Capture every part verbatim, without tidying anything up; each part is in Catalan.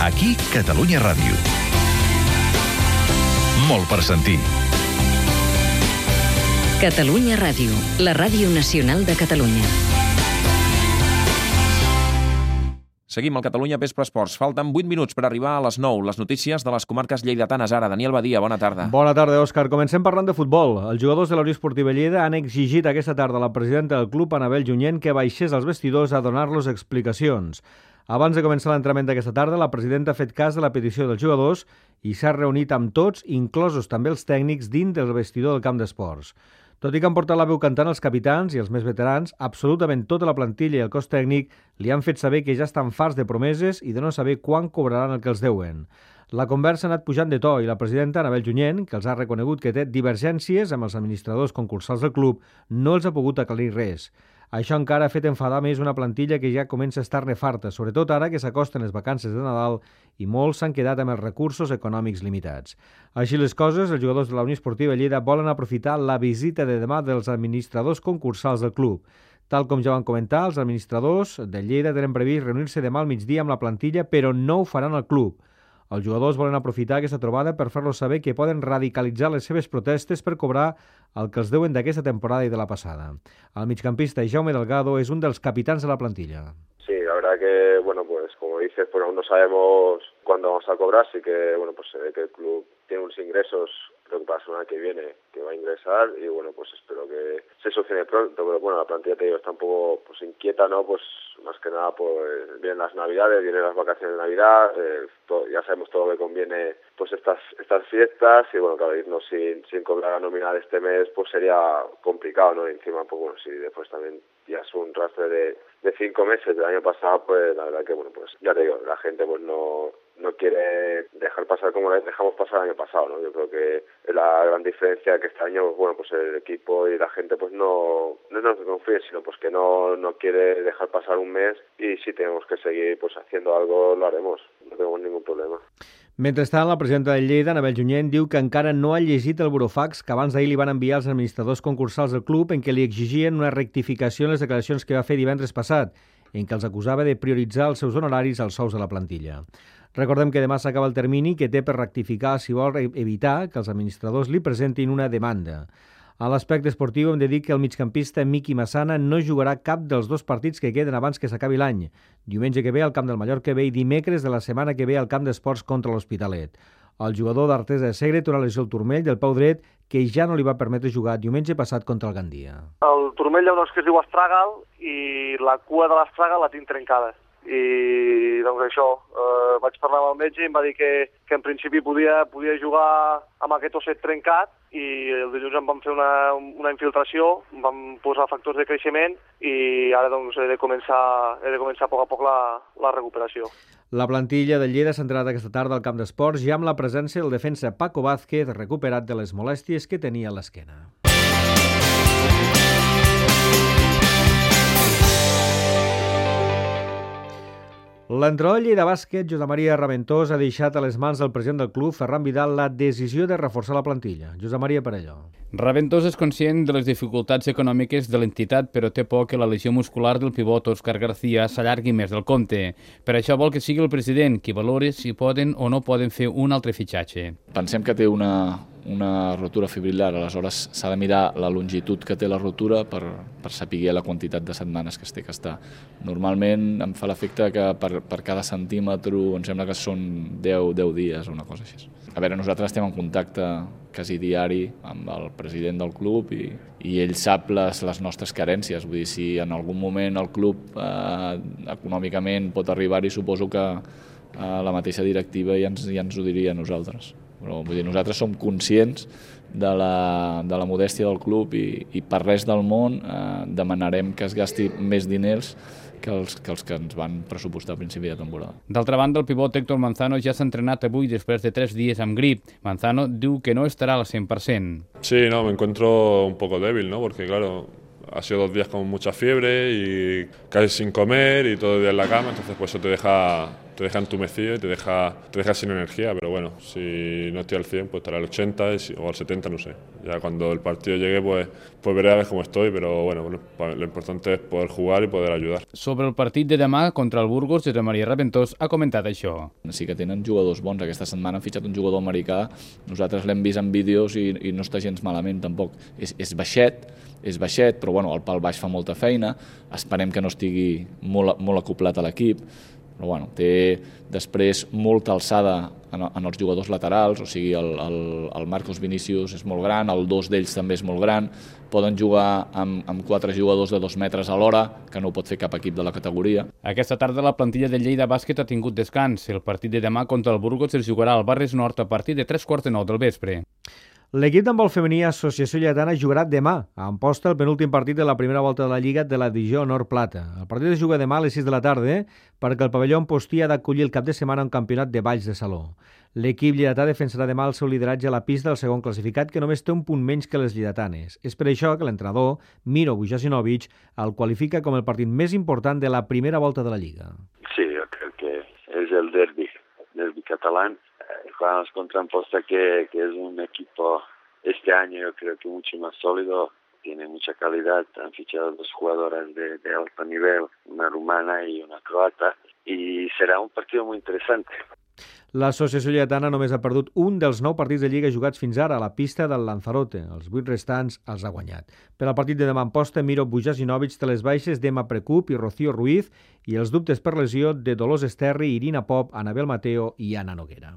Aquí, Catalunya Ràdio. Molt per sentir. Catalunya Ràdio, la ràdio nacional de Catalunya. Seguim al Catalunya Vespre Esports. Falten vuit minuts per arribar a les nou. Les notícies de les comarques lleidatanes ara. Daniel Badia, bona tarda. Bona tarda, Òscar. Comencem parlant de futbol. Els jugadors de la Unió Esportiva Lleida han exigit aquesta tarda a la presidenta del club, Anabel Junyent, que baixés als vestidors a donar-los explicacions. Abans de començar l'entrenament d'aquesta tarda, la presidenta ha fet cas de la petició dels jugadors i s'ha reunit amb tots, inclosos també els tècnics, dins del vestidor del camp d'esports. Tot i que han portat la veu cantant els capitans i els més veterans, absolutament tota la plantilla i el cos tècnic li han fet saber que ja estan farts de promeses i de no saber quan cobraran el que els deuen. La conversa ha anat pujant de to i la presidenta, Anabel Junyent, que els ha reconegut que té divergències amb els administradors concursals del club, no els ha pogut aclarir res. Això encara ha fet enfadar més una plantilla que ja comença a estar nefarta, sobretot ara que s'acosten les vacances de Nadal i molts s'han quedat amb els recursos econòmics limitats. Així les coses, els jugadors de la Unió Esportiva Lleida volen aprofitar la visita de demà dels administradors concursals del club. Tal com ja van comentar, els administradors de Lleida tenen previst reunir-se demà al migdia amb la plantilla, però no ho faran al club. Els jugadors volen aprofitar aquesta trobada per fer-los saber que poden radicalitzar les seves protestes per cobrar el que els deuen d'aquesta temporada i de la passada. El migcampista Jaume Delgado es un dels capitans de la plantilla. Sí, la verdad que, bueno, pues como dices, pues aún no sabemos cuándo vamos a cobrar, así que, bueno, pues se ve que el club tiene unos ingresos, creo que para la semana que viene, que va a ingresar, y bueno, pues espero que se solucione pronto, pero bueno, la plantilla, te digo, está un poco pues inquieta, ¿no? Pues más que nada, pues vienen las Navidades, vienen las vacaciones de Navidad, eh, todo, ya sabemos todo lo que conviene, pues estas estas fiestas, y bueno, claro, irnos sin, sin cobrar la nómina de este mes, pues sería complicado, ¿no? Y encima, pues bueno, si después también ya es un rastre de, de cinco meses del año pasado, pues la verdad que, bueno, pues ya te digo, la gente pues no... no quiere dejar pasar como dejamos pasar el año pasado, ¿no? Yo creo que la gran diferencia que este año, bueno, pues el equipo y la gente pues no no nos confíe, sino pues que no no quiere dejar pasar un mes, y si tenemos que seguir pues haciendo algo, lo haremos, no tenemos ningún problema. Mentrestant, la presidenta de Lleida, Anabel Junyent, diu que encara no ha llegit el burofax que abans d'ahir li van enviar els administradors concursals del club, en què li exigien una rectificació en les declaracions que va fer divendres passat, en què els acusava de prioritzar els seus honoraris als sous de la plantilla. Recordem que demà s'acaba el termini que té per rectificar si vol evitar que els administradors li presentin una demanda. A l'aspecte esportiu hem de dir que el migcampista Miqui Massana no jugarà cap dels dos partits que queden abans que s'acabi l'any. Diumenge que ve al camp del Mallorca B i dimecres de la setmana que ve al camp d'esports contra l'Hospitalet. El jugador d'Artesa de Segre té una lesió al turmell del peu dret que ja no li va permetre jugar diumenge passat contra el Gandia. El turmell hi ha una cosa que es diu astràgal i la cua de l'astràgal la tinc trencada. I doncs això, eh, vaig parlar amb el metge i em va dir que, que en principi podia, podia jugar amb aquest osset trencat, i el dilluns em van fer una, una infiltració, em van posar factors de creixement i ara doncs he de començar, he de començar a poc a poc la, la recuperació. La plantilla de Lleida s'ha entrenat aquesta tarda al camp d'esports ja amb la presència del defensa Paco Vázquez, recuperat de les molèsties que tenia a l'esquena. L'entrenador Lleida Bàsquet, Josep Maria Raventós, ha deixat a les mans del president del club, Ferran Vidal, la decisió de reforçar la plantilla. Josep Maria Parelló. Raventós és conscient de les dificultats econòmiques de l'entitat, però té por que la lesió muscular del pivot Òscar García s'allargui més del compte. Per això vol que sigui el president qui valori si poden o no poden fer un altre fitxatge. Pensem que té una, una rotura fibrilar, aleshores s'ha de mirar la longitud que té la rotura per, per saber la quantitat de setmanes que es té que estar. Normalment em fa l'efecte que per, per cada centímetre em sembla que són deu, deu dies o una cosa així. A veure, nosaltres estem en contacte quasi diari amb el president del club i, i ell sap les, les nostres carències. Vull dir, si en algun moment el club eh, econòmicament pot arribar-hi, suposo que eh, la mateixa directiva ja ens, ja ens ho diria a nosaltres. Però vull dir, nosaltres som conscients de la, de la modèstia del club i, i per res del món eh, demanarem que es gasti més diners que els, que els que ens van pressupostar a principi de temporada. D'altra banda, el pivot Héctor Manzano ja s'ha entrenat avui després de tres dies amb grip. Manzano diu que no estará al cien por ciento. Sí, no, me encuentro un poco débil, ¿no? Porque claro, ha sido dos días con mucha fiebre y casi sin comer y todo el día en la cama, entonces pues eso te deja, te te deja entumecido y te deja, te deja sin energía, pero bueno, si no estoy al cien, pues estaré al ochenta o al setenta, no sé. Ya cuando el partido llegue, pues, pues veré a ver cómo estoy, pero bueno, bueno, lo importante es poder jugar y poder ayudar. Sobre el partit de demà contra el Burgos, Josep Maria Raventós ha comentat això. Sí que tenen jugadors bons. Aquesta setmana han fitxat un jugador americà, nosaltres l'hem vist en vídeos i, i no està gens malament tampoc. És, és baixet, és baixet, però bueno, el pal baix fa molta feina, esperem que no estigui molt, molt acoplat a l'equip, però bueno, té després molta alçada en, en els jugadors laterals, o sigui, el, el, el Marcos Vinícius és molt gran, el dos d'ells també és molt gran, poden jugar amb, amb quatre jugadors de dos metres a l'hora, que no ho pot fer cap equip de la categoria. Aquesta tarda la plantilla del Lleida Bàsquet ha tingut descans. El partit de demà contra el Burgos es jugarà al Barris Nord a partir de tres quarts de nou del vespre. L'equip d'handbol femení Associació Lleidatana jugarà demà a Amposta el penúltim partit de la primera volta de la Lliga de la divisió Honor Plata. El partit es juga demà a les sis de la tarda perquè el pavelló Ampostí ha d'acollir el cap de setmana un campionat de balls de saló. L'equip lleidatà defensarà demà el seu lideratge a la pista del segon classificat, que només té un punt menys que les lleidatanes. És per això que l'entrenador, Miro Vujasinovic, el qualifica com el partit més important de la primera volta de la Lliga. Sí, yo creo que es el derbi, derbi catalán. Jugamos contra Amposta, que, que es un equipo este año yo creo que mucho más sólido, tiene mucha calidad, han fichado dos jugadoras de, de alto nivel, una rumana y una croata, y será un partido muy interesante. L'Associació Lleidatana només ha perdut un dels nou partits de Lliga jugats fins ara a la pista del Lanzarote. Els vuit restants els ha guanyat. Per al partit de demà en posta, Miro Vujasinovic té les baixes d'Emma Precup i Rocío Ruiz i els dubtes per lesió de Dolors Esterri, Irina Pop, Anabel Mateo i Anna Noguera.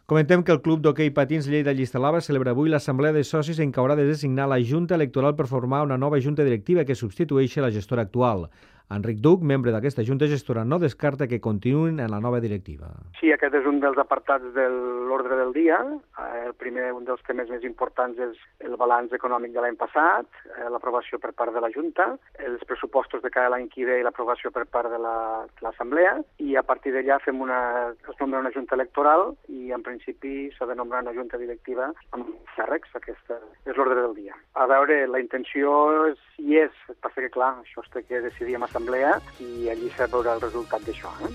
Comentem que el Club d'Hoquei Patins Lleida Llistalava celebra avui l'assemblea de socis en què haurà de designar la Junta Electoral per formar una nova Junta Directiva que substitueixi la gestora actual. Enric Duc, membre d'aquesta Junta Gestora, no descarta que continuïn en la nova directiva. Sí, aquest és un dels apartats de l'ordre del dia. El primer, un dels temes més importants és el balanç econòmic de l'any passat, l'aprovació per part de la Junta, els pressupostos de cada l'any que ve i l'aprovació per part de l'Assemblea, i a partir d'allà fem una, es nombra una Junta Electoral i en principi s'ha de nombrar una Junta Directiva amb càrrecs. Aquesta és l'ordre del dia. A veure, la intenció hi és, passa que clar, això es té que decidir amb Assemblea i allí s'ha veurà el resultat d'això. Eh?